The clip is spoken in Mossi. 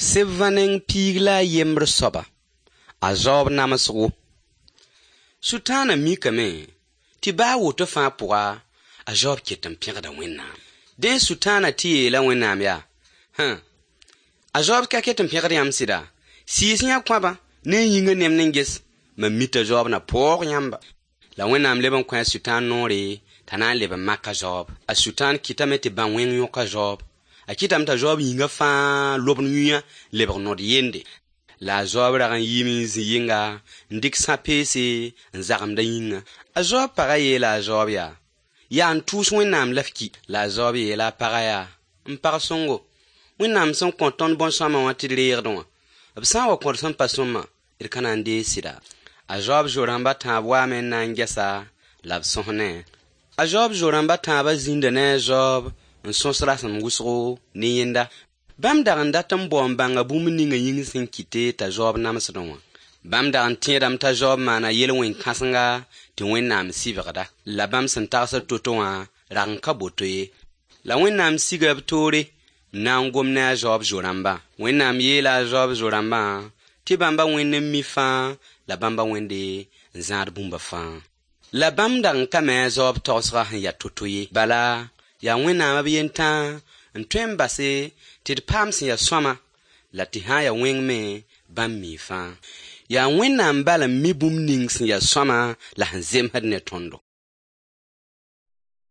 Sɩbvã neng piig la a yembr soaba, a zaoob namsgo. Sʋtãana mikame tɩ baa woto fãa pʋga, a zaoob ket n pẽgda Wẽnnaam. Dẽ Sʋtãana tɩ yeela Wẽnnaam yaa: Hã, a zaoob ka ket n pẽgd yãmb sɩda? Sɩɩs yã kõabã ne a yĩngã nemd n ges, mam mi t'a zaoob na paoog yãmba. La Wẽnnaam leb n kõ a Sʋtãan noore t'a na n leb n mak a zaoob. A Sʋtãan kɩtame tɩ bão-wẽng yõk a zaoob. A kɩtame t'a zaoob yĩngã fãa lobd yũyã lebg nod yende. La a zaoob rag n yiime n zĩ yɩnga n dɩk sã-peese n zagemd a yĩngã. A zaoob pagã yeela a zaoob yaa: Yaa n tʋʋs Wẽnnaam la f ki. La a zaoob yeela a pagã yaa: M pag sõngo, Wẽnnaam sẽn kõ tõnd bõn-sõama wã tɩ d reegdẽ wã, b sã n wa kõ d sẽn pa sõma, d ka na n deeg sɩda? A zaoob zo-rãmb a tãab waame n na n ges-a la b sõs ne-a. A zaoob zo-rãmb a tãabã zĩnda ne a zaoob n sõs rasem wʋsgo ne yẽnda. Bãmb dag n dat n bao n bãnga bũmb ninga yĩng sẽn kɩte t'a zaoob namsdẽ wã. Bãmb dag n tẽedame t'a zaoob maana yel-wẽn-kãsenga tɩ Wẽnnaam sɩbgda. La bãmb sẽn tagsd to-to wã rag n ka boto ye. La Wẽnnaam siga b toore n na n gom ne a zaoob zo-rãmbã. Wẽnnaam yeela a zaoob zo-rãmbã tɩ bãmba wẽnd n mi fãa la bãmba wẽnde n zãad bũmba fãa. La bãmb dag n ka me a zaoob tagsgã sẽn yaa to-to ye. Bala, yaa Wẽnnaam b yentãag n tõe n base tɩ d paam sẽn yaa sõama la tɩ sã n yaa wẽng me bãmb mii fãa. Yaa Wẽnnaam bal n mi bũmb ning sẽn yaa sõama la sẽn zemsd ne tõndo.